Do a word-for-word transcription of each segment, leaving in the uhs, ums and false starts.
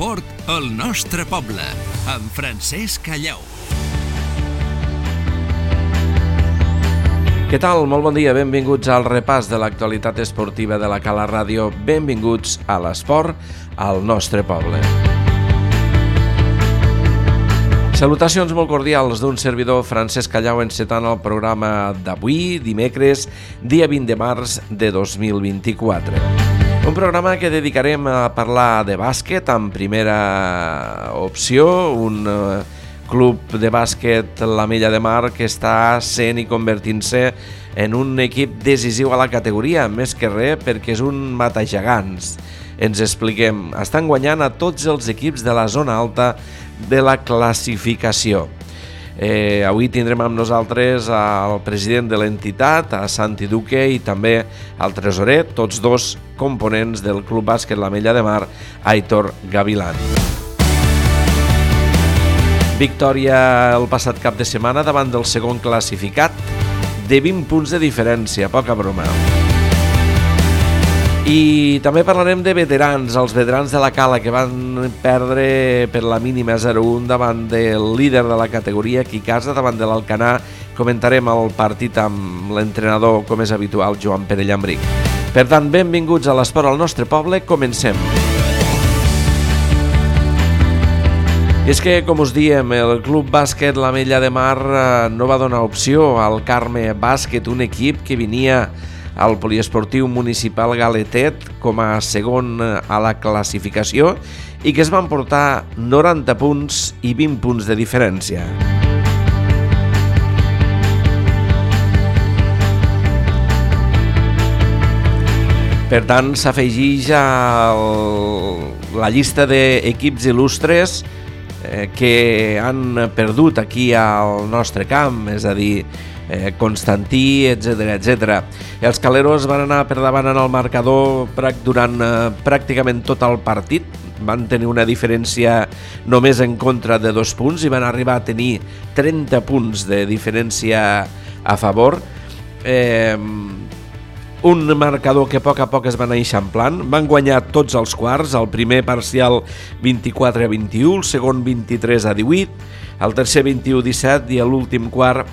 L'esport al nostre poble, amb Francesc Callau. Què tal? Molt bon dia, benvinguts al repàs de l'actualitat esportiva de la Cala Ràdio. Benvinguts a l'esport al nostre poble. Salutacions molt cordials d'un servidor, Francesc Callau, encetant el programa d'avui, dimecres, dia vint de març de dos mil vint-i-quatre. Un programa que dedicarem a parlar de bàsquet en primera opció, un uh, club de bàsquet, l'Ametlla de Mar, que està sent i convertint-se en un equip decisiu a la categoria, més que res perquè és un matagegants. Ens expliquem, estan guanyant a tots els equips de la zona alta de la classificació. Eh, avui tindrem amb nosaltres al president de l'entitat, a Santi Duque, i també al tresorer, tots dos components del Club Bàsquet l'Ametlla de Mar, Aitor Gavilán. Victòria el passat cap de setmana davant del segon classificat, de vint punts de diferència, poca broma. I també parlarem de veterans, els veterans de la Cala, que van perdre per la mínima zero a un davant del líder de la categoria, Quicasa, davant de l'Alcanar. Comentarem el partit amb l'entrenador, com és habitual, Joan Pere Llambric. Per tant, benvinguts a l'esport al nostre poble, comencem. I és que, com us diem, el Club Bàsquet l'Ametlla de Mar no va donar opció al Carme Bàsquet, un equip que venia al poliesportiu municipal Galetet com a segon a la classificació i que es van portar noranta punts i vint punts de diferència. Per tant, s'afegeix a la llista d'equips il·lustres eh, que han perdut aquí al nostre camp, és a dir, Eh, Constantí, etcètera, etcètera. Els caleros van anar per davant en el marcador durant eh, pràcticament tot el partit. Van tenir una diferència només en contra de dos punts i van arribar a tenir trenta punts de diferència a favor. Eh, un marcador que a poc a poc es va anar eixamplant. Van guanyar tots els quarts, el primer parcial vint-i-quatre a vint-i-u, el segon vint-i-tres a divuit, el tercer vint-i-u a disset i l'últim quart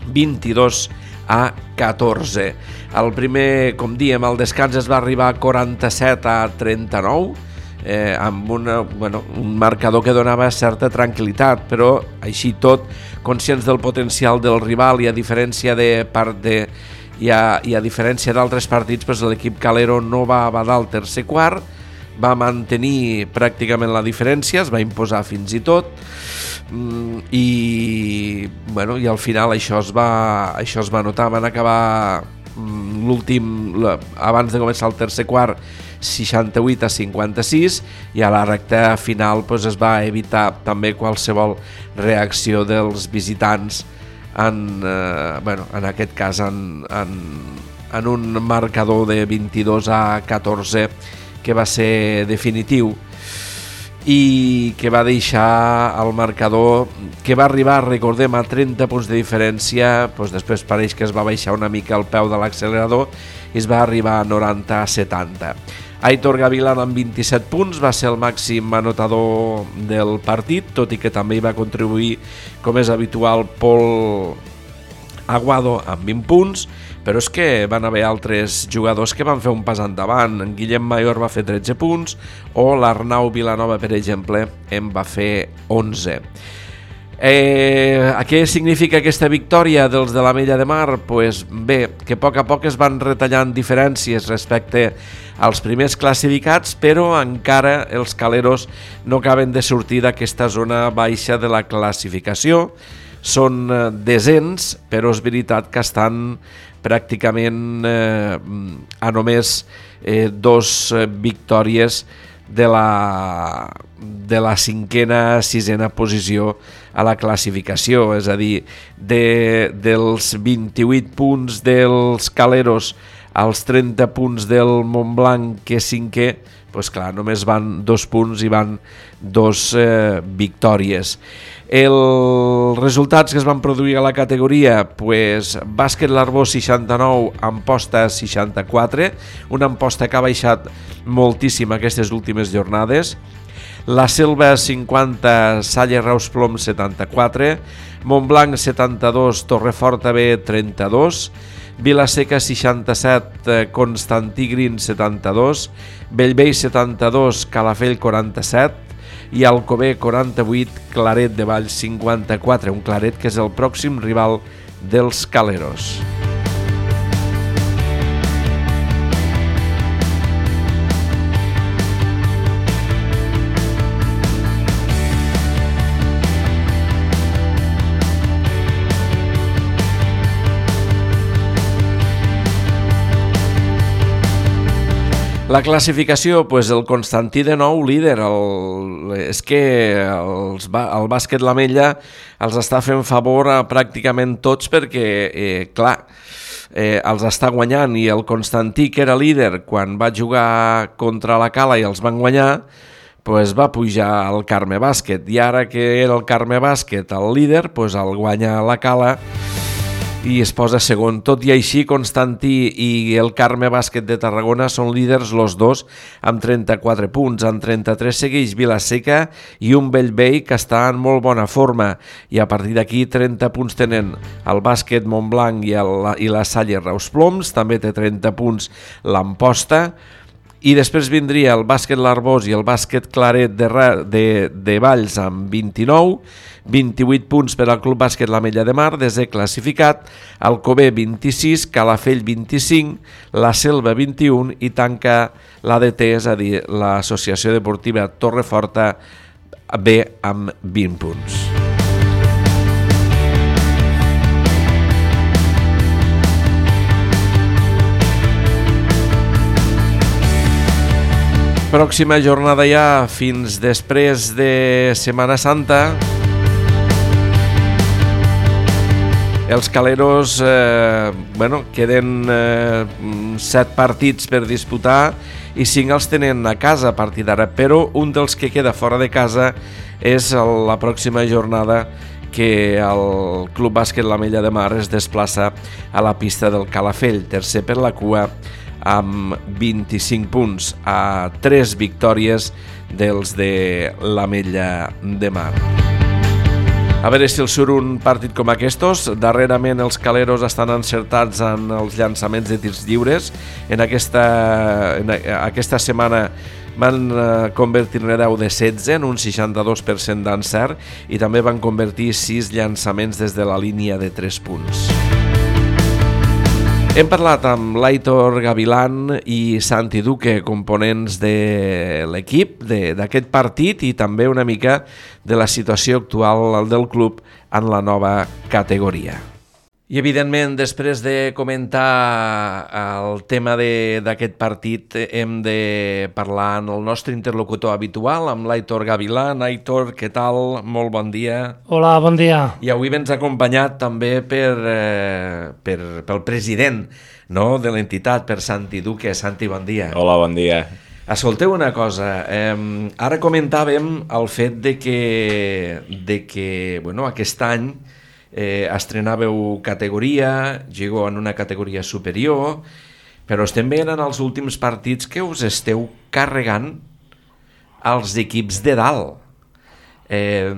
vint-i-dos a catorze. El primer, com diem, el descans es va arribar a quaranta-set a trenta-nou, eh, amb una, bueno, un marcador que donava certa tranquil·litat, però així tot, conscients del potencial del rival i a diferència de part de i a, i a diferència d'altres partits, doncs l'equip calero no va badar el tercer quart, va mantenir pràcticament la diferència, es va imposar fins i tot, i bueno, i al final això es va això es va notar. Van acabar l'últim, abans de començar el tercer quart, seixanta-vuit a cinquanta-sis, i a la recta final doncs, es va evitar també qualsevol reacció dels visitants en, eh, bueno, en aquest cas en, en, en un marcador de vint-i-dos a catorze que va ser definitiu i que va deixar el marcador, que va arribar, recordem, a trenta punts de diferència. Doncs després pareix que es va baixar una mica el peu de l'accelerador i es va arribar a noranta a setanta. Aitor Gavilán amb vint-i-set punts va ser el màxim anotador del partit, tot i que també hi va contribuir, com és habitual, Pol Aguado amb vint punts, però és que van haver altres jugadors que van fer un pas endavant. En Guillem Mayor va fer tretze punts o l'Arnau Vilanova, per exemple, en va fer onze. Eh, què significa aquesta victòria dels de l'Ametlla de Mar? Pues bé, que a poc a poc es van retallant diferències respecte als primers classificats, però encara els caleros no acaben de sortir d'aquesta zona baixa de la classificació. Són desens, però és veritat que estan pràcticament eh, a només eh, dos victòries de la, de la cinquena, sisena posició a la classificació, és a dir, de, dels vint-i-vuit punts dels caleros als trenta punts del Montblanc, que és cinquè, doncs clar, només van dos punts i van dos eh, victòries. Els resultats que es van produir a la categoria, pues, Bàsquet l'Arbós seixanta-nou, Amposta seixanta-quatre, una Amposta que ha baixat moltíssim aquestes últimes jornades. La Selva cinquanta, Salle Reus Plom setanta-quatre, Montblanc setanta-dos, Torreforta B trenta-dos, Vilaseca seixanta-set, Constantí Green setanta-dos, Bellvei setanta-dos, Calafell quaranta-set i Alcover quaranta-vuit, Claret de Valls cinquanta-quatre, un Claret que és el pròxim rival dels Caleros. La classificació, pues el Constantí de nou líder, el, és que els, el bàsquet l'Ametlla els està fent favor a pràcticament tots perquè, eh, clar, eh, els està guanyant i el Constantí, que era líder quan va jugar contra la Cala i els van guanyar, pues va pujar al Carme Bàsquet i ara que era el Carme Bàsquet el líder, pues el guanya la Cala i es posa segon. Tot i així, Constantí i el Carme Bàsquet de Tarragona són líders los dos amb trenta-quatre punts. En trenta-tres segueix Vilaseca i un Bellvei que està en molt bona forma i a partir d'aquí trenta punts tenen el Bàsquet Montblanc i, el, i la Salle Reus Ploms, també té trenta punts l'Amposta, i després vindria el Bàsquet L'Arbós i el Bàsquet Claret de, de, de Valls amb vint-i-nou, vint-i-vuit punts per al Club Bàsquet l'Ametlla de Mar, desè classificat, Alcover vint-i-sis, Calafell vint-i-cinc, la Selva vint-i-un i tanca l'A D T, és a dir, l'Associació Deportiva Torreforta B amb vint punts. Pròxima jornada ja fins després de Setmana Santa. Els Caleros eh, bueno, queden eh, set partits per disputar i cinc els tenen a casa a partir d'ara, però un dels que queda fora de casa és la pròxima jornada que el Club Bàsquet l'Ametlla de Mar es desplaça a la pista del Calafell, tercer per la cua amb vint-i-cinc punts, a tres victòries dels de l'Ametlla de Mar. A veure si els surt un partit com aquests. Darrerament els Caleros estan encertats en els llançaments de tirs lliures. En aquesta, en aquesta setmana van convertir deu de setze en un seixanta-dos per cent d'encert i també van convertir sis llançaments des de la línia de tres punts. Hem parlat amb l'Aitor Gavilán i Santi Duque, components de l'equip d'aquest partit i també una mica de la situació actual del club en la nova categoria. I evidentment, després de comentar el tema d'aquest partit, hem de parlar amb el nostre interlocutor habitual, amb l'Aitor Gavilán. Aitor, què tal? Molt bon dia. Hola, bon dia. I avui vens acompanyat també per, eh, per, pel president, no?, de l'entitat, per Santi Duque. Santi, bon dia. Hola, bon dia. Escolteu una cosa, eh, ara comentàvem el fet de que, de que bueno, aquest any Eh, estrenàveu categoria, jugueu en una categoria superior, però estem veient en els últims partits que us esteu carregant els equips de dalt. Eh,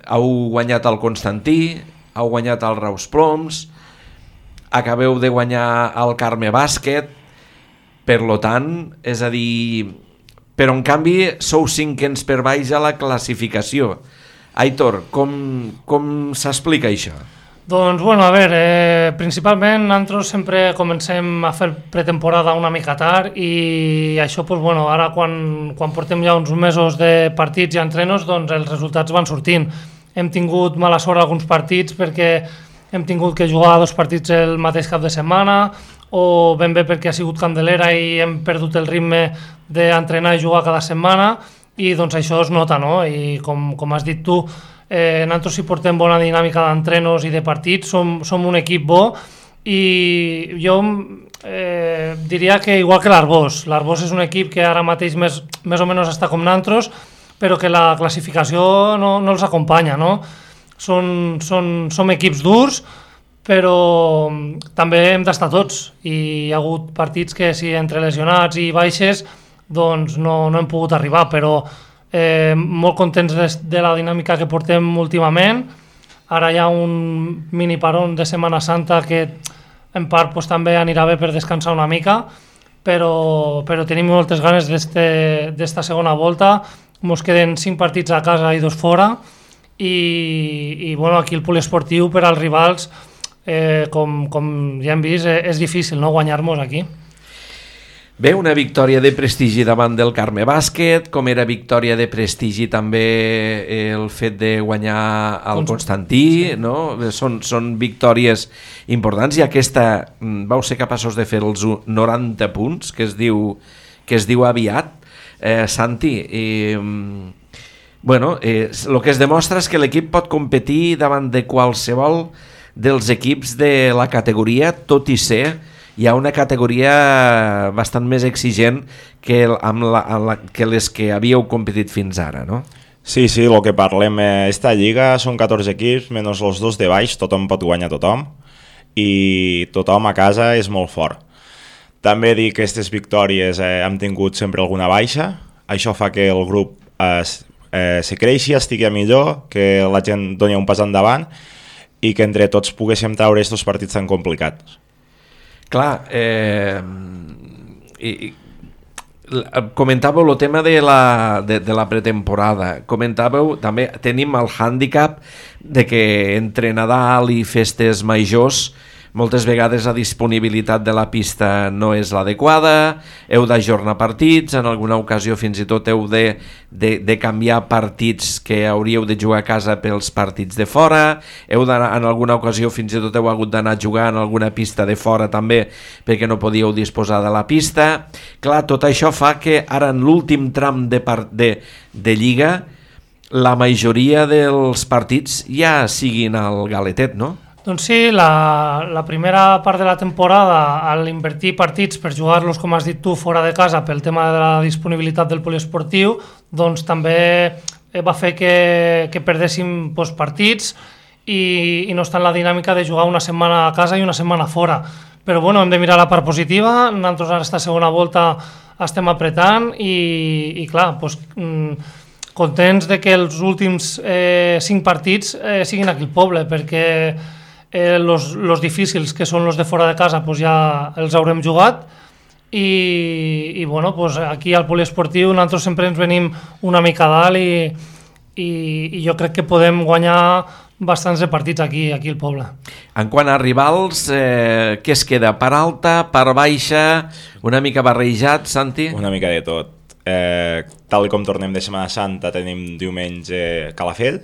heu guanyat el Constantí, heu guanyat el Reus Ploms, acabeu de guanyar el Carme Bàsquet, per lo tant, és a dir, però en canvi sou cinquens per baix a la classificació. Aitor, com, com s'explica això? Doncs, bueno, a veure, eh, principalment nosaltres sempre comencem a fer pretemporada una mica tard i això, doncs, bueno, ara quan, quan portem ja uns mesos de partits i entrenos, doncs els resultats van sortint. Hem tingut mala sort alguns partits perquè hem tingut que jugar dos partits el mateix cap de setmana o ben bé perquè ha sigut Candelera i hem perdut el ritme d'entrenar i jugar cada setmana, i doncs això es nota, no? I com, com has dit tu, eh, nosaltres si portem bona dinàmica d'entrenos i de partits, som, som un equip bo i jo eh, diria que igual que l'Arbós. L'Arbós és un equip que ara mateix més, més o menys està com nosaltres, però que la classificació no, no els acompanya, no? Són, són, som equips durs, però també hem d'estar tots i hi ha hagut partits que si entre lesionats i baixes doncs no, no hem pogut arribar, però eh, molt contents de, de la dinàmica que portem últimament. Ara hi ha un mini paron de Setmana Santa que en part pues, també anirà bé per descansar una mica, però, però tenim moltes ganes d'esta segona volta. Ens queden cinc partits a casa i dos fora, i, i bueno, aquí el poliesportiu per als rivals, eh, com, com ja hem vist, eh, és difícil, no, guanyar-nos aquí. Bé, una victòria de prestigi davant del Carme Bàsquet, com era victòria de prestigi també el fet de guanyar el Constantí, sí. No? Són, són victòries importants, i aquesta vau ser capaços de fer els noranta punts, que es diu, que es diu aviat, eh, Santi. I, bueno, eh, el que es demostra és que l'equip pot competir davant de qualsevol dels equips de la categoria, tot i ser hi ha una categoria bastant més exigent que, amb la, amb la, que les que havíeu competit fins ara, no? Sí, sí, el que parlem, eh, esta lliga són catorze equips, menys els dos de baix, tothom pot guanyar tothom, i tothom a casa és molt fort. També dic que aquestes victòries eh, hem tingut sempre alguna baixa, això fa que el grup es, eh, se creixi, estigui millor, que la gent doni un pas endavant, i que entre tots poguéssim treure aquests partits tan complicats. Clar, eh, i, comentàveu el tema de la, de, de la pretemporada, comentàveu també, tenim el hàndicap de que entre Nadal i festes majors moltes vegades la disponibilitat de la pista no és l'adequada, heu d'ajornar partits, en alguna ocasió fins i tot heu de, de, de canviar partits que hauríeu de jugar a casa pels partits de fora, heu d'anar, en alguna ocasió fins i tot heu hagut d'anar a jugar en alguna pista de fora també perquè no podíeu disposar de la pista. Clar, tot això fa que ara en l'últim tram de, part, de, de Lliga la majoria dels partits ja siguin al galetet, no? Doncs sí, la, la primera part de la temporada, al invertir partits per jugar-los, com has dit tu, fora de casa pel tema de la disponibilitat del poliesportiu, doncs també va fer que, que perdéssim doncs, partits i, i no està en la dinàmica de jugar una setmana a casa i una setmana fora. Però bueno, hem de mirar la part positiva, nosaltres ara esta segona volta estem apretant i, i clar, doncs, contents de que els últims eh, cinc partits eh, siguin aquí al poble, perquè Eh, los, los difícils, que són los de fora de casa, pues ja els haurem jugat, i, i bueno, pues aquí al poliesportiu nosaltres sempre ens venim una mica dalt i, i, i jo crec que podem guanyar bastants de partits aquí, aquí al poble. En quant a rivals, eh, què es queda? Per alta, per baixa, una mica barrejat, Santi? Una mica de tot. Eh, tal com tornem de Setmana Santa, tenim diumenge Calafell,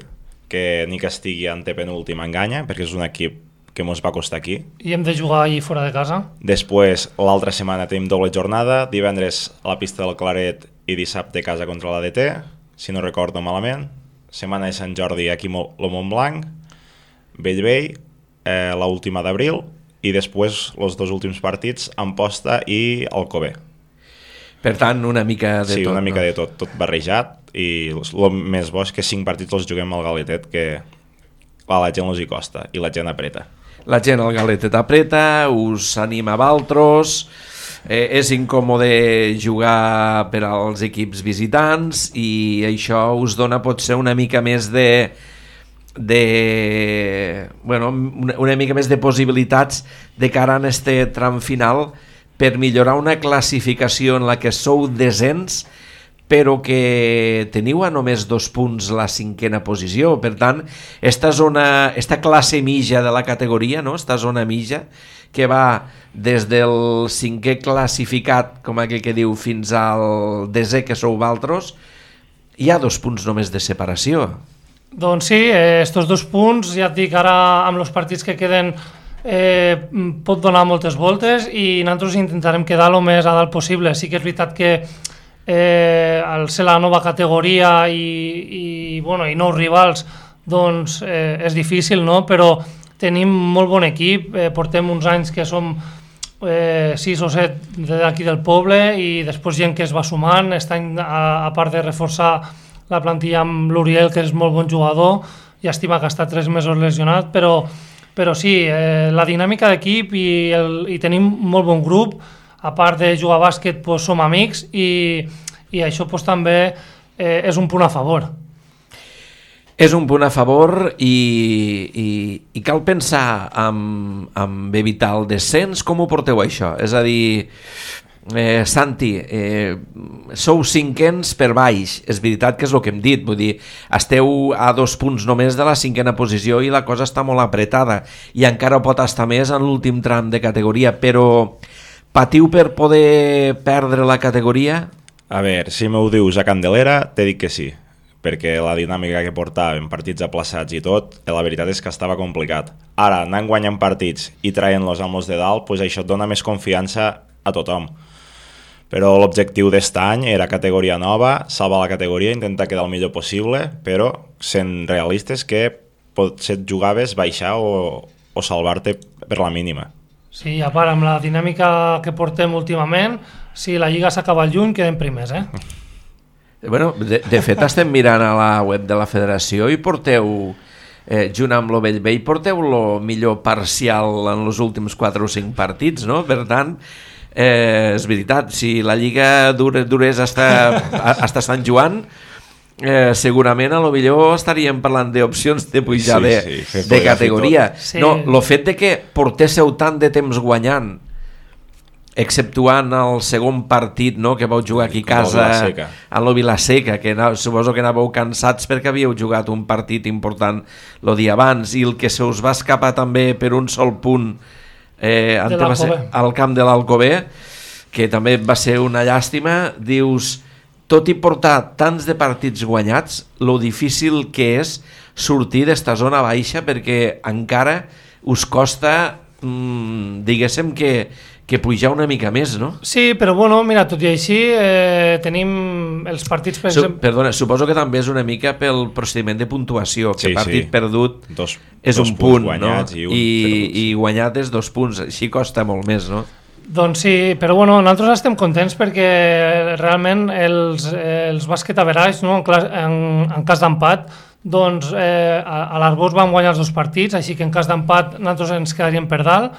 que ni que estigui antepenúltim enganya, perquè és un equip que ens va costar aquí. I hem de jugar allí fora de casa. Després, l'altra setmana tenim doble jornada, divendres a la pista del Claret i dissabte a casa contra l'A D T, si no recordo malament. Setmana de Sant Jordi aquí al Montblanc, Bellvei, eh, l'última d'abril, i després els dos últims partits, Amposta i Alcover. Per tant, una mica de sí, tot. Sí, una mica no? de tot, tot barrejat, i el més bo és que cinc partits els juguem al Galetet, que a la gent els hi costa, i la gent apreta. La gent al Galetet apreta, us anima a altres, eh, és incòmode jugar per als equips visitants, i això us dona potser una mica més de... de bueno, una, una mica més de possibilitats de cara a este tram final per millorar una classificació en la que sou desens, però que teniu a només dos punts la cinquena posició. Per tant, esta zona, esta classe mitja de la categoria, no? Esta zona mitja, que va des del cinquè classificat, com aquell que diu, fins al desè, que sou valtros, hi ha dos punts només de separació. Doncs sí, eh, estos dos punts, ja et dic, ara amb els partits que queden eh, pot donar moltes voltes, i nosaltres intentarem quedar el més a dalt possible. Sí que és veritat que eh, al ser la nova categoria i, i, bueno, i nous rivals, doncs eh, és difícil, no? Però tenim molt bon equip, eh, portem uns anys que som eh, sis o set d'aquí del poble, i després gent que es va sumant, estan, a, a part de reforçar la plantilla amb l'Uriel, que és molt bon jugador, llàstima que ha estat tres mesos lesionat, però, però sí, eh, la dinàmica d'equip, i, el, i tenim molt bon grup, a part de jugar a bàsquet, pues, som amics, i, i això pues, també eh, és un punt a favor. És un punt a favor i, i, i cal pensar en, en evitar el descens. Com ho porteu això? És a dir, eh, Santi, eh, sou cinquens per baix, és veritat que és el que hem dit, vull dir, esteu a dos punts només de la cinquena posició i la cosa està molt apretada i encara pot estar més en l'últim tram de categoria, però patiu per poder perdre la categoria? A veure, si m'ho dius a Candelera, t'he dit que sí, perquè la dinàmica que portàvem, partits aplaçats i tot, la veritat és que estava complicat. Ara, anant guanyant partits i traient-los amb els de dalt, doncs això et dona més confiança a tothom. Però l'objectiu d'est any era categoria nova, salvar la categoria, intentar quedar el millor possible, però sent realistes que potser et jugaves baixar o, o salvar-te per la mínima. Sí, a part, amb la dinàmica que portem últimament, si la Lliga s'acaba al juny, quedem primers, eh? Bueno, de, de fet estem mirant a la web de la federació i porteu, eh, junt amb lo Bellvei, porteu lo millor parcial en els últims quatre o cinc partits, no? Per tant, eh, és veritat, si la Lliga dure, durés hasta, hasta Sant Joan, eh, segurament a lo millor estaríem parlant d'opcions de pujar Sí, de, sí, de categoria. Sí. No, lo fet de que portéssiu tant de temps guanyant, exceptuant el segon partit, no, que vau jugar aquí a casa a lo Vilaseca, que anà, suposo que anàveu cansats perquè havíeu jugat un partit important el dia abans, i el que se us va escapar també per un sol punt eh, va ser al camp de l'Alcobé, que també va ser una llàstima. Dius, tot i portar tants de partits guanyats, lo difícil que és sortir d'esta zona baixa, perquè encara us costa, mmm, diguéssim que que pujar una mica més, no? Sí, però bueno, mira, tot i així eh, tenim els partits, per Su exemple... Perdona, suposo que també és una mica pel procediment de puntuació, que sí, partit sí. perdut dos, és dos un punt, no? I, un I, i guanyat és dos punts, així costa molt més, no? Doncs sí, però bueno, nosaltres estem contents perquè realment els, els bàsquet average, no, en, en, en cas d'empat, doncs eh, a, a l'Arbós vam guanyar els dos partits, així que en cas d'empat nosaltres ens quedaríem per dalt.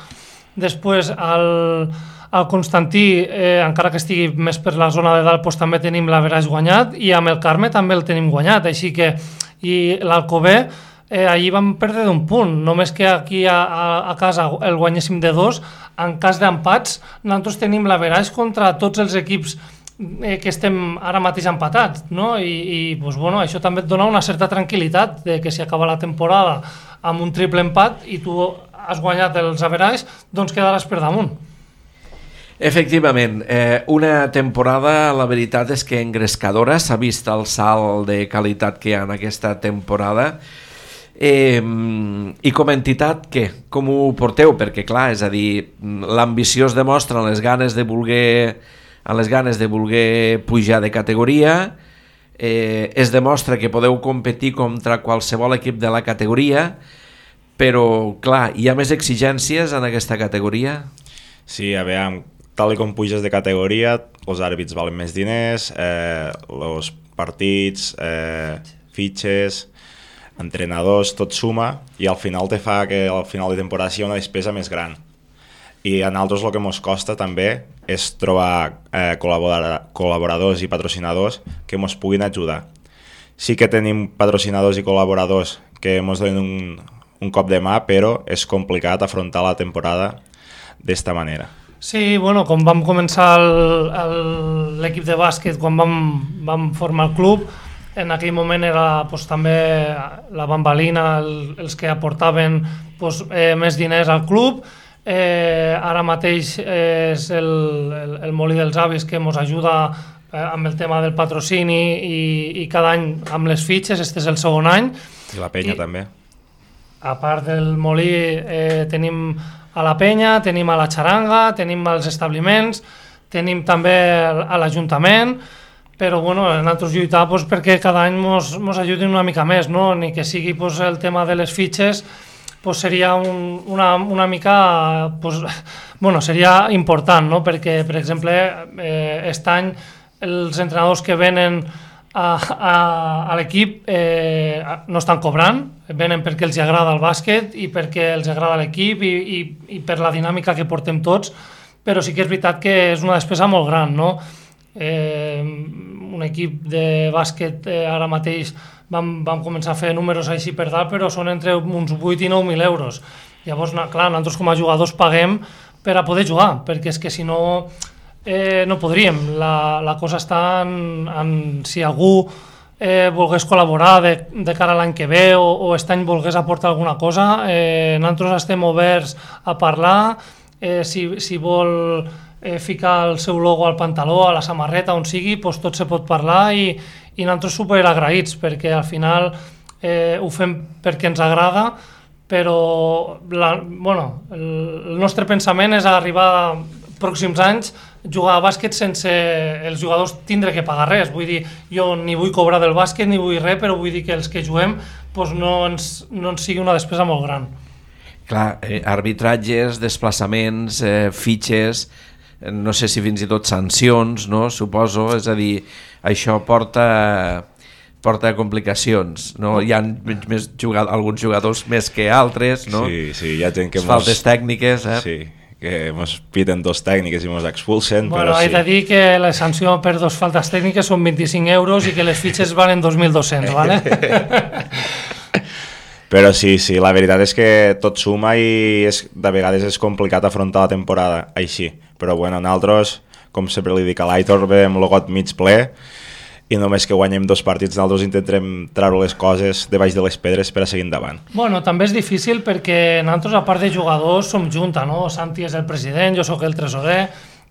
Després, al, al Constantí, eh, encara que estigui més per la zona de dalt, doncs també tenim l'average guanyat, i amb el Carme també el tenim guanyat, així que, i l'Alcobé, eh, allí vam perdre d'un punt, només que aquí a, a, a casa el guanyéssim de dos. En cas d'empats, nosaltres tenim l'average contra tots els equips eh, que estem ara mateix empatats, no? I, i doncs, bueno, això també et dona una certa tranquil·litat de que si acaba la temporada amb un triple empat i tu has guanyat els average, doncs quedaràs per damunt. Efectivament, eh, una temporada, la veritat és que engrescadora, s'ha vist el salt de qualitat que hi ha en aquesta temporada. Eh, I com a entitat, què? Com ho porteu? Perquè clar, és a dir, l'ambició es demostra en les ganes de voler, en les ganes de voler pujar de categoria, eh, es demostra que podeu competir contra qualsevol equip de la categoria, però, clar, hi ha més exigències en aquesta categoria? Sí, a veure, tal com puges de categoria, els àrbits valen més diners, eh, els partits, eh, fitxes, entrenadors, tot suma, i al final te fa que al final de temporada sigui una despesa més gran. I a nosaltres el que ens costa també és trobar eh, col·laboradors i patrocinadors que ens puguin ajudar. Sí que tenim patrocinadors i col·laboradors que ens donen un un cop de mà, però és complicat afrontar la temporada d'esta manera. Sí, bueno, com vam començar l'equip de bàsquet, quan vam, vam formar el club, en aquell moment era pues, també la bambalina, el, els que aportaven pues, eh, més diners al club. Eh, ara mateix és el, el, el Molí dels Avis que ens ajuda eh, amb el tema del patrocini i, i cada any amb les fitxes, este és el segon any. I la penya I, també. A part del Molí eh, tenim a la penya, tenim a la xaranga, tenim als establiments, tenim també a l'Ajuntament, però bueno, nosaltres lluitar pues, perquè cada any ens ajudin una mica més, no? Ni que sigui pues, el tema de les fitxes, pues, seria un, una, una mica, pues, bueno, seria important, no? Perquè, per exemple, eh, aquest any els entrenadors que venen a, a, a l'equip eh, no estan cobrant, venen perquè els agrada el bàsquet i perquè els agrada l'equip i, i, i per la dinàmica que portem tots, però sí que és veritat que és una despesa molt gran, no? eh, un equip de bàsquet eh, ara mateix vam, vam començar a fer números així per dalt, però són entre uns vuit i nou mil euros. Llavors, clar, nosaltres com a jugadors paguem per a poder jugar, perquè és que si no eh, no podríem. La, la cosa està en, en si algú eh, volgués col·laborar de, de cara a l'any que ve o, o aquest any volgués aportar alguna cosa, eh, nosaltres estem oberts a parlar, eh, si, si vol eh, ficar el seu logo al pantaló, a la samarreta, on sigui, doncs tot se pot parlar i, i nosaltres super agraïts, perquè al final eh, ho fem perquè ens agrada, però la, bueno, el, el nostre pensament és arribar pròxims anys jugar a bàsquet sense els jugadors tindre que pagar res. Vull dir, jo ni vull cobrar del bàsquet ni vull res, però vull dir que els que juguem doncs no, ens, no ens sigui una despesa molt gran. Clar, eh, arbitratges, desplaçaments, eh, fitxes, no sé si fins i tot sancions, no? Suposo, és a dir, això porta... porta complicacions, no? Hi ha més jugad alguns jugadors més que altres, no? Sí, sí, hi ha gent que... Faltes mos... tècniques, eh? Sí, que mos piten dos tècniques i mos expulsen, bueno, però sí. He de dir que la sanció per dos faltes tècniques són vint-i-cinc euros i que les fitxes valen dos mil dos-cents, ¿vale? Però sí, sí, la veritat és que tot suma i és, de vegades és complicat afrontar la temporada així. Però bueno, nosaltres, com sempre li dic a l'Aitor, veiem el got mig ple i només que guanyem dos partits nosaltres intentarem treure les coses de baix de les pedres per a seguir endavant. Bueno, també és difícil perquè nosaltres, a part de jugadors, som junta, no? Santi és el president, jo sóc el tresorer,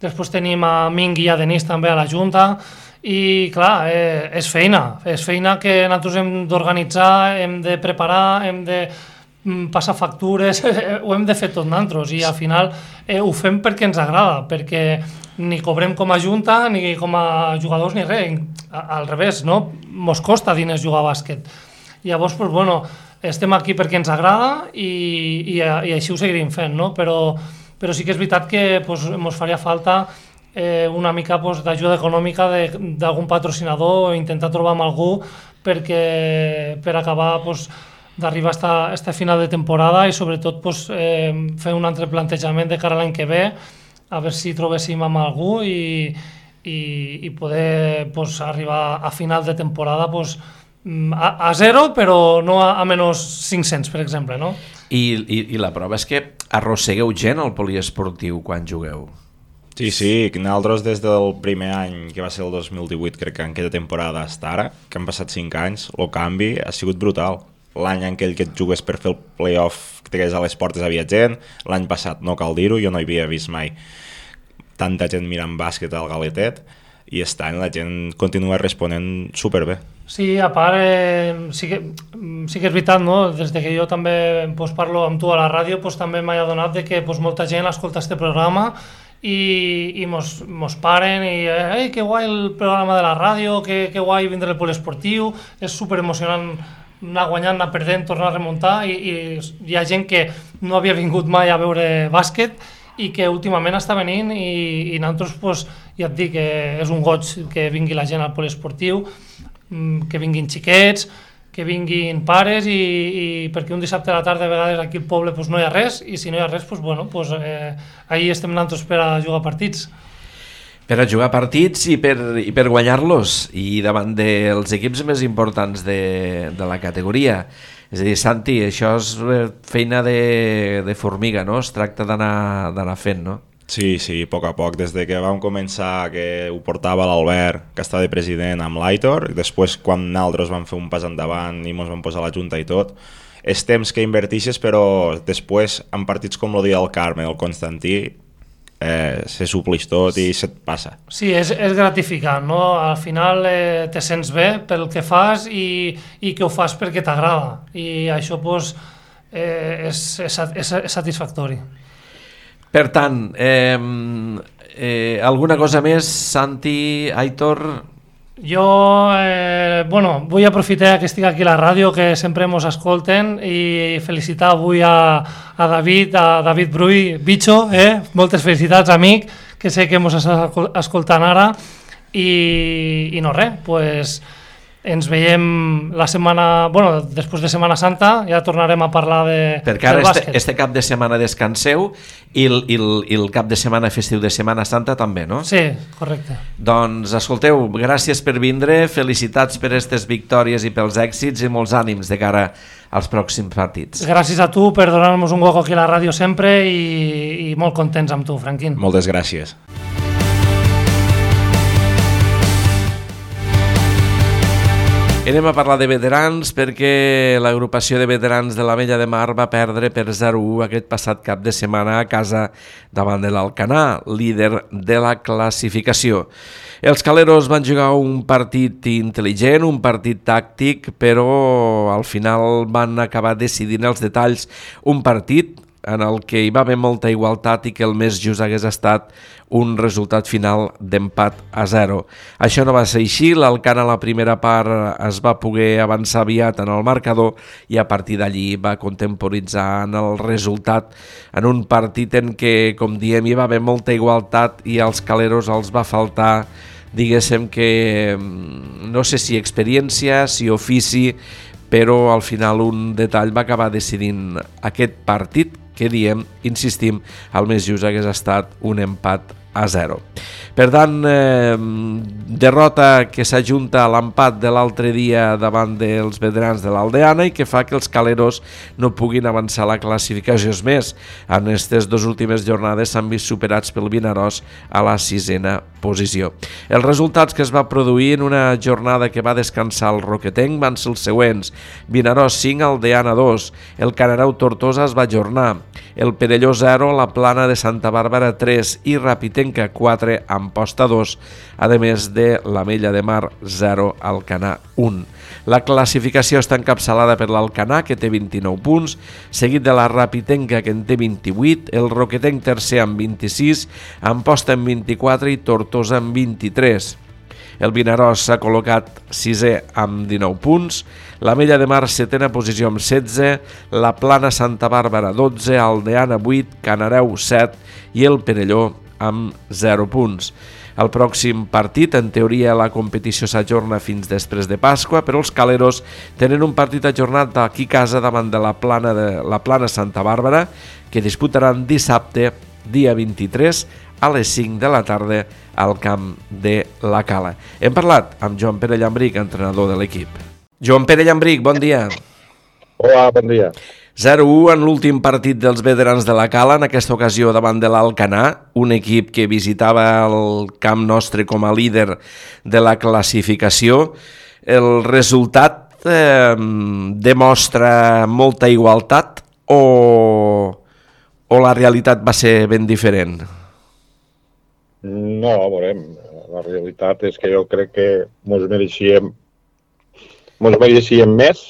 després tenim a Ming i a Denis també a la junta, i clar, eh, és feina, és feina que nosaltres hem d'organitzar, hem de preparar, hem de passar factures, ho hem de fer tot nosaltres i al final eh, ho fem perquè ens agrada, perquè ni cobrem com a junta ni com a jugadors ni res, al revés, no? Mos costa diners jugar a bàsquet. Llavors, pues, bueno, estem aquí perquè ens agrada i, i, i així ho seguirem fent, no? Però, però sí que és veritat que pues, mos faria falta eh, una mica pues, d'ajuda econòmica d'algun patrocinador o intentar trobar amb algú perquè, per acabar pues, d'arribar a aquesta final de temporada i sobretot pues, eh, fer un altre plantejament de cara a l'any que ve, a veure si trobéssim amb algú i, i, i poder pues, arribar a final de temporada pues, a, a zero, però no a, a menys cinc-cents, per exemple, no? I, i, I la prova és que arrossegueu gent al poliesportiu quan jugueu. Sí, sí, nosaltres des del primer any, que va ser el dos mil divuit, crec que en aquesta temporada hasta ara, que han passat cinc anys, el canvi ha sigut brutal. L'any en aquell que et jugues per fer el playoff que a les portes havia gent, l'any passat no cal dir-ho, jo no havia vist mai tanta gent mirant bàsquet al Galetet i aquest any la gent continua responent superbé. Sí, a part, eh, sí, que, sí que és veritat, no? Des de que jo també pues, parlo amb tu a la ràdio, pues, també m'ha adonat de que pues, molta gent escolta este programa i, i mos, mos paren i eh, que guai el programa de la ràdio, que, que guai vindre el poliesportiu, és superemocionant anar guanyant, anar perdent, tornar a remuntar i, i hi ha gent que no havia vingut mai a veure bàsquet i que últimament està venint i, i nosaltres pues, ja et dic que és un goig que vingui la gent al poliesportiu, que vinguin xiquets, que vinguin pares i, i perquè un dissabte a la tarda a vegades aquí al poble pues, no hi ha res i si no hi ha res, pues, bueno, pues, eh, ahí estem nosaltres per a jugar partits. Per a jugar partits i per, i per guanyar-los i davant dels equips més importants de, de la categoria. És a dir, Santi, això és feina de, de formiga, no? Es tracta d'anar fent, no? Sí, sí, a poc a poc. Des de que vam començar, que ho portava l'Albert, que està de president amb l'Aitor, i després quan nosaltres vam fer un pas endavant i ens vam posar a la junta i tot, és temps que invertixes, però després, en partits com el dia del Carme, el Constantí, Eh, se suplix tot i se't passa. Sí, és, és gratificant, no? Al final eh, te sents bé pel que fas i, i que ho fas perquè t'agrada i això pues, eh, és, és, és, és satisfactori. Per tant, eh, eh, alguna cosa més, Santi, Aitor? Jo, eh, bueno, vull aprofitar que estic aquí a la ràdio, que sempre mos escolten, i felicitar avui a, a David, a David Bruy, Bicho, eh? Moltes felicitats, amic, que sé que mos estàs escoltant ara, i, i no res, pues, ens veiem la setmana, bueno, després de Setmana Santa, ja tornarem a parlar de, perquè ara este, este cap de setmana descanseu i el, i, el, i el cap de setmana festiu de Setmana Santa també, no? Sí, correcte. Doncs escolteu, gràcies per vindre, felicitats per aquestes victòries i pels èxits i molts ànims de cara als pròxims partits. Gràcies a tu per donar-nos un hueco aquí a la ràdio sempre i, i molt contents amb tu, Franquín. Moltes gràcies. Anem a parlar de veterans perquè l'agrupació de veterans de l'Ametlla de Mar va perdre per zero a u aquest passat cap de setmana a casa davant de l'Alcanar, líder de la classificació. Els caleros van jugar un partit intel·ligent, un partit tàctic, però al final van acabar decidint els detalls. Un partit en el que hi va haver molta igualtat i que el més just hagués estat un resultat final d'empat a zero. Això no va ser així, l'Alcanar a la primera part es va poder avançar aviat en el marcador i a partir d'allí va contemporitzar en el resultat en un partit en què, com diem, hi va haver molta igualtat i als caleros els va faltar, diguéssim que, no sé si experiència, si ofici, però al final un detall va acabar decidint aquest partit que diem, insistim, el més just hagués estat un empat a zero. Per tant, eh, derrota que s'ajunta a l'empat de l'altre dia davant dels veterans de l'Aldeana i que fa que els caleros no puguin avançar la classificació. És més, en aquestes dues últimes jornades s'han vist superats pel Vinaròs a la sisena posició. Els resultats que es va produir en una jornada que va descansar el Roquetenc van ser els següents: Vinaròs cinc, Aldeana dos, el Canarau Tortosa es va ajornar, el Perelló zero, la Plana de Santa Bàrbara tres i Rapitenca quatre, Amposta dos, a més de l'Ametlla de Mar zero, Alcanar un. La classificació està encapçalada per l'Alcanar, que té vint-i-nou punts, seguit de la Rapitenca, que en té vint-i-vuit, el Roquetenc tercer amb vint-i-sis, Amposta amb vint-i-quatre i Tortosa amb vint-i-tres. El Vinaròs s'ha col·locat sisè amb dinou punts, l'Ametlla de Mar setena posició amb setze, la Plana Santa Bàrbara dotze, Aldeana vuit, Canareu set i el Perelló amb zero punts. El pròxim partit, en teoria, la competició s'ajorna fins després de Pasqua, però els caleros tenen un partit ajornat aquí a casa davant de la Plana, de la Plana Santa Bàrbara, que disputaran dissabte, dia vint-i-tres, a les cinc de la tarda al camp de la Cala. Hem parlat amb Joan Pere Llambric, entrenador de l'equip. Joan Pere Llambric, bon dia. Hola, bon dia. zero a u en l'últim partit dels veterans de la Cala, en aquesta ocasió davant de l'Alcanar, un equip que visitava el camp nostre com a líder de la classificació. El resultat eh, demostra molta igualtat o, o la realitat va ser ben diferent? No, veurem, la realitat és que jo crec que mos mereixíem, mos mereixíem més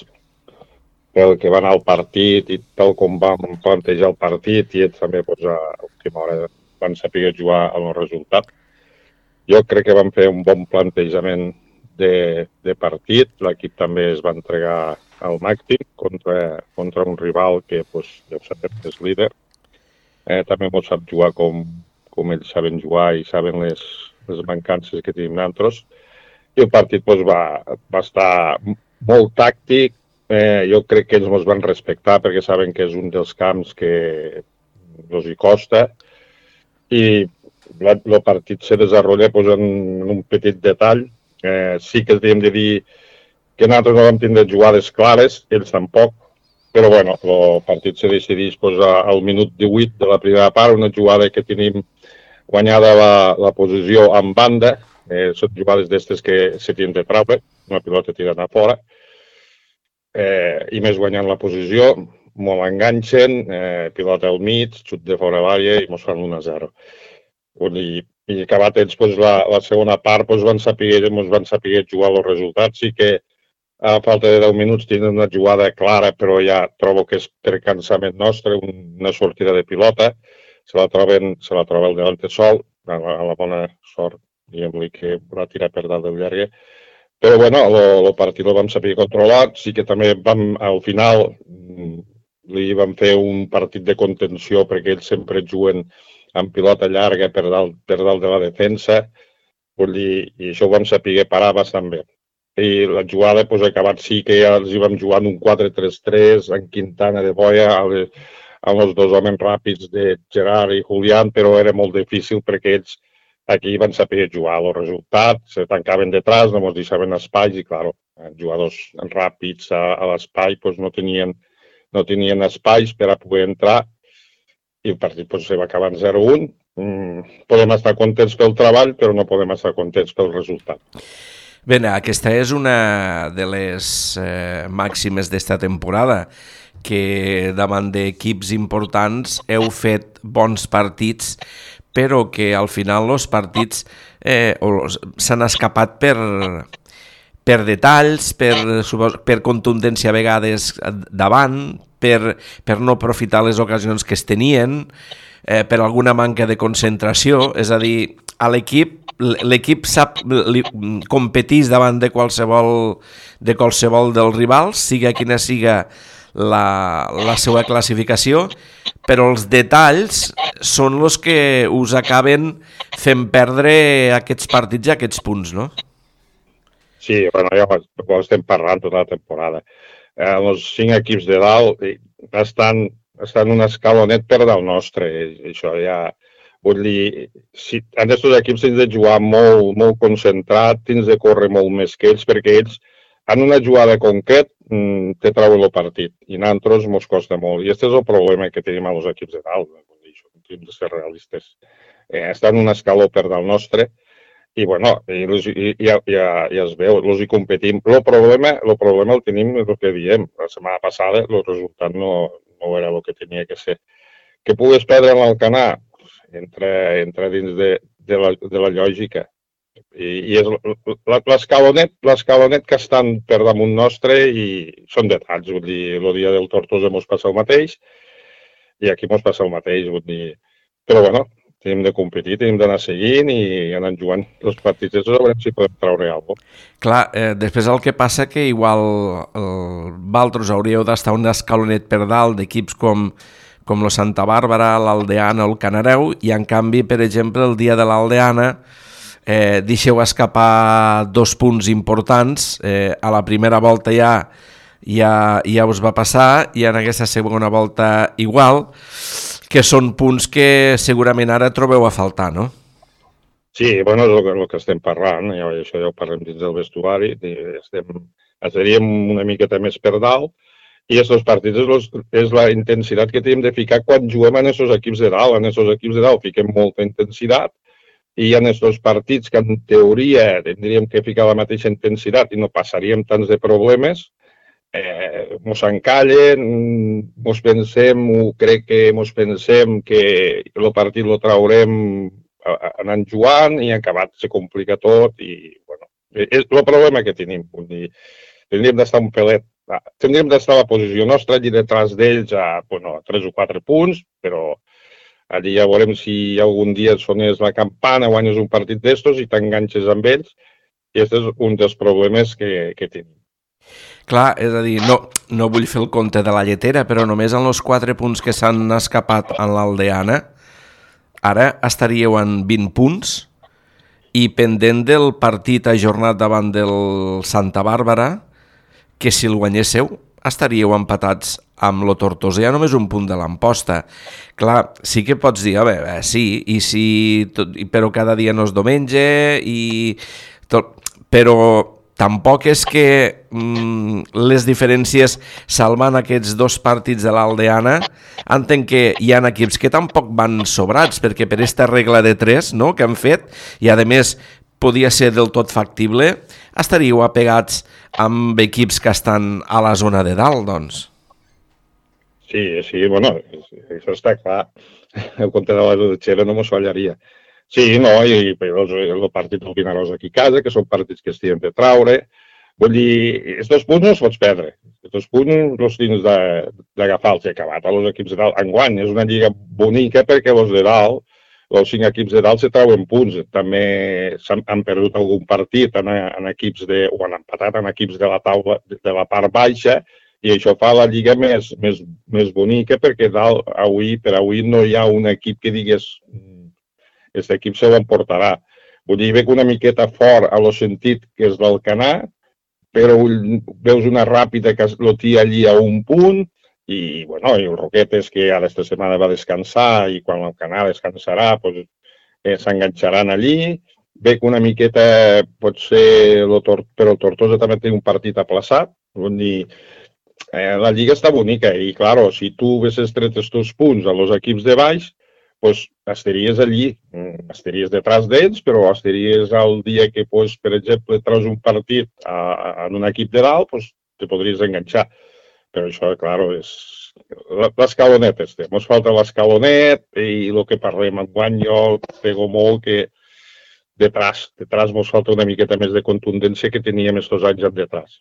pel que va anar al partit i tal com vam plantejar el partit i ells també doncs, a última hora van saber jugar amb el resultat. Jo crec que vam fer un bon plantejament de, de partit, l'equip també es va entregar al màxim contra, contra un rival que doncs, ja ho sabem que és líder. Eh, també mos sap jugar com com ells saben jugar i saben les, les mancances que tenim nosaltres. I el partit doncs, va, va estar molt tàctic. Eh, jo crec que ells ens van respectar perquè saben que és un dels camps que els hi costa. I el partit se desenvolupa doncs, en un petit detall. Eh, sí que hem de dir que nosaltres no vam tindre jugades clares, ells tampoc. Però bueno, el partit se decideix doncs, al minut divuit de la primera part, una jugada que tenim guanyada la, la posició en banda, eh, són jugades d'estes que se tenen de traure, una pilota tirant a fora, eh, i més guanyant la posició, molt enganxen, eh, pilota al mig, xut de fora l'àrea i mos fan un a zero. I, i acabat ells doncs, la, la segona part doncs, van saber, mos van saber jugar els resultats, sí que a falta de deu minuts tenen una jugada clara, però ja trobo que és per cansament nostre, una sortida de pilota, se la troben, se la troba el delante sol, a la, a la bona sort, diguem-li que va tirar per dalt del llargue. Però bueno, el partit el vam saber controlar, sí que també vam, al final, li vam fer un partit de contenció perquè ells sempre juguen amb pilota llarga per dalt, per dalt de la defensa, vull dir, i això ho vam saber parar bastant bé. i la jugada pues, ha acabat sí que ja els hi vam jugar en un quatre tres tres, en Quintana de Boia, amb els dos homes ràpids de Gerard i Julián, però era molt difícil perquè ells aquí van saber jugar. El resultat, se tancaven detrás, no ens deixaven espais i, clar, jugadors ràpids a, a l'espai pues, no, tenien, no tenien espais per a poder entrar i el partit pues, se va acabar en zero un. Mm, podem estar contents pel treball, però no podem estar contents pel resultat. Bé, aquesta és una de les eh, màximes d'esta temporada, que davant d'equips importants heu fet bons partits, però que al final els partits eh, s'han escapat per, per detalls, per, per contundència a vegades davant, per, per no aprofitar les ocasions que es tenien, eh, per alguna manca de concentració, és a dir, a l'equip l'equip sap competís davant de qualsevol, de qualsevol dels rivals, siga quina siga la, la seva classificació, però els detalls són els que us acaben fent perdre aquests partits i aquests punts, no? Sí, bueno, ja ho estem parlant tota la temporada. Eh, els cinc equips de dalt estan, estan un escalonet per dalt nostre. Això ja... Vull dir, si, en aquests equips tens de jugar molt, molt concentrat, tens de córrer molt més que ells, perquè ells, en una jugada concret, te treuen el partit. I a nosaltres ens costa molt. I aquest és el problema que tenim als equips de dalt. Hem de ser realistes. Eh, estan en un escaló per dalt nostre i, bueno, i, i, ja, ja, ja es veu, els hi competim. El problema, el problema el tenim, el que diem. La setmana passada el resultat no, no era el que tenia que ser. Que pugues perdre en l'Alcanar, entra, entra dins de, de, la, de la lògica. I, i és l'escalonet, l'escalonet que estan per damunt nostre i són detalls. Vull dir, el dia del Tortosa mos passa el mateix i aquí mos passa el mateix. Vull dir. Però, bueno, tenim de competir, tenim d'anar seguint i anar jugant els partits. Això a veure si podem treure alguna cosa. Clar, eh, després el que passa que igual el Valtros hauríeu d'estar un escalonet per dalt d'equips com com la Santa Bàrbara, l'Aldeana o el Canareu, i en canvi, per exemple, el dia de l'Aldeana eh, deixeu escapar dos punts importants, eh, a la primera volta ja, ja, ja us va passar, i en aquesta segona volta igual, que són punts que segurament ara trobeu a faltar, no? Sí, bueno, és el que, el que estem parlant, ja, això ja ho parlem dins del vestuari, estem, estaríem una miqueta més per dalt, i aquests partits és, los, és la intensitat que tenim de ficar quan juguem en aquests equips de dalt. En aquests equips de dalt fiquem molta intensitat i en aquests partits que en teoria tindríem que ficar la mateixa intensitat i no passaríem tants de problemes, eh, mos encallen, mos pensem, o crec que mos pensem que el partit lo traurem anant jugant i acabat se complica tot i, bueno, és el problema que tenim. Vull dir, tindríem d'estar un pelet. Tindríem d'estar a la posició nostra, allí detrás d'ells a, bueno, a tres o quatre punts, però allí ja veurem si algun dia sonés la campana, guanyes un partit d'estos i t'enganxes amb ells. I aquest és un dels problemes que, que tenim. Clar, és a dir, no, no vull fer el compte de la lletera, però només en els quatre punts que s'han escapat en l'Aldeana, ara estaríeu en vint punts i pendent del partit ajornat davant del Santa Bàrbara, que si el guanyéssiu estaríeu empatats amb lo Tortosa, ja només un punt de l'Amposta. Clar, sí que pots dir, a veure, sí, i si, tot, però cada dia no és diumenge, i tot, però tampoc és que mm, les diferències salvant aquests dos partits de l'Aldeana, entenc que hi ha equips que tampoc van sobrats, perquè per aquesta regla de tres, no?, que han fet, i a més podia ser del tot factible, estaríeu apegats amb equips que estan a la zona de dalt, doncs. Sí, sí, bueno, això està clar. El compte de la Dutxera no mos fallaria. Sí, no, i el partit del Vinaròs aquí a casa, que són partits que es tenen de traure. Vull dir, aquests dos punts no els pots perdre. Aquests dos punts els tens d'agafar-los i acabat a els equips de dalt. Enguany és una lliga bonica perquè els de dalt, els cinc equips de dalt se trauen punts. També han perdut algun partit en, en equips de, o han empatat en equips de la taula de la part baixa i això fa la lliga més, més, més bonica perquè dalt, avui, per avui no hi ha un equip que digués aquest equip se l'emportarà. Vull dir, veig una miqueta fort a lo sentit que és l'Alcanar però veus una Ràpita que lo té allí a un punt, i, bueno, i el Roquetes, que ara esta setmana va descansar, i quan el Canal descansarà, pues, eh, s'enganxaran allí. Ve que una miqueta pot ser, lo tor però el Tortosa també té un partit aplaçat. Vull dir, eh, la Lliga està bonica i, claro, si tu haguessis tret els teus punts als equips de baix, pues, estaries allí, estaries detrás d'ells, però estaries el dia que, pues, per exemple, treus un partit a, a, en un equip de dalt, pues, te podries enganxar. Però això, claro, és l'escalonet este. Ens falta l'escalonet i el que parlem enguany, jo pego molt que detrás, detrás ens falta una miqueta més de contundència que teníem estos anys en detrás.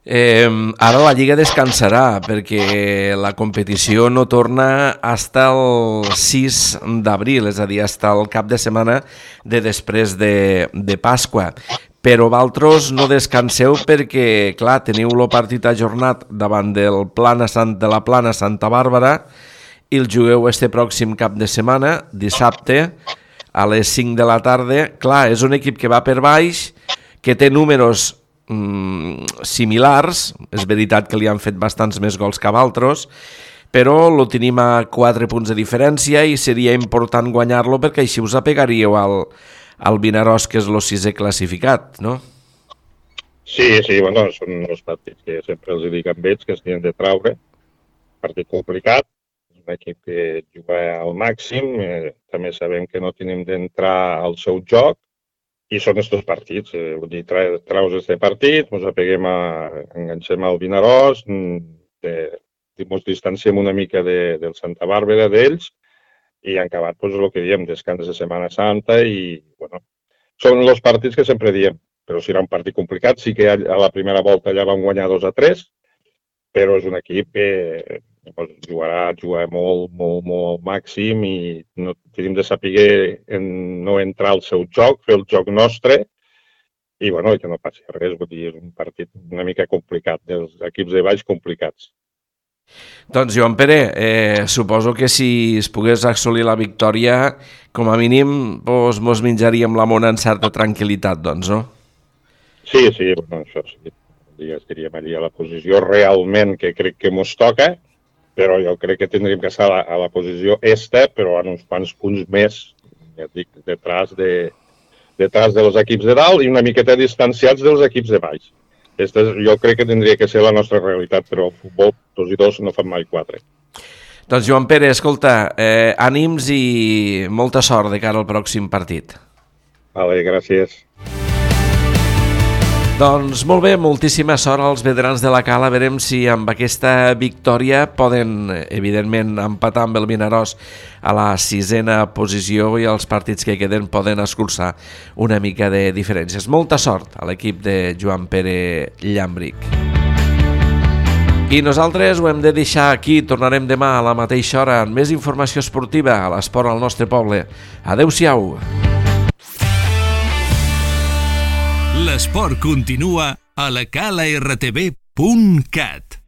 Eh, ara la Lliga descansarà perquè la competició no torna fins el sis d'abril, és a dir, fins el cap de setmana de després de, de Pasqua. Però vosaltres no descanseu perquè, clar, teniu el partit ajornat davant del Plana Sant, de la Plana Santa Bàrbara i el jugueu este pròxim cap de setmana, dissabte, a les cinc de la tarda. Clar, és un equip que va per baix, que té números mm, similars, és veritat que li han fet bastants més gols que a altres, però lo tenim a quatre punts de diferència i seria important guanyar-lo perquè així us apegaríeu al, al Vinaròs, que és el sisè classificat, no? Sí, sí, bueno, són els partits que sempre els dic amb ells, que es tenen de traure. Partit complicat, un equip que juga al màxim, eh, també sabem que no tenim d'entrar al seu joc, i són estos partits. Eh, vull dir, tra traus este partit, ens apeguem a, enganxem al Vinaròs, ens distanciem una mica de, del Santa Bàrbara d'ells, i han acabat, pues, el que diem, descans de Setmana Santa, i, bueno, són els partits que sempre diem, però serà un partit complicat. Sí que a la primera volta ja van guanyar dos a tres, però és un equip que jugarà, jugarà molt, molt, molt màxim i no tenim de saber en no entrar al seu joc, fer el joc nostre i, bueno, que no passi res. Vull dir, és un partit una mica complicat, dels equips de baix complicats. Doncs, Joan Pere, eh, suposo que si es pogués assolir la victòria, com a mínim, doncs, mos menjaríem la mona en certa tranquil·litat, doncs, no? Sí, sí, bueno, això sí. Estaríem allà a la posició realment que crec que mos toca, però jo crec que tindríem que estar a la, a la posició esta, però en uns quants punts més, ja et dic, detrás de, detrás dels equips de dalt i una miqueta distanciats dels equips de baix. Aquesta jo crec que tindria que ser la nostra realitat, però el futbol, dos i dos, no fan mai quatre. Doncs, Joan Pere, escolta, eh, ànims i molta sort de cara al pròxim partit. Vale, gràcies. Doncs molt bé, moltíssima sort als veterans de la Cala. Verem si amb aquesta victòria poden, evidentment, empatar amb el Vinaròs a la sisena posició i els partits que queden poden escurçar una mica de diferències. Molta sort a l'equip de Joan Pere Llambric. I nosaltres ho hem de deixar aquí. Tornarem demà a la mateixa hora amb més informació esportiva a l'esport al nostre poble. Adéu-siau. L'esport continua a la cala r t v punt cat.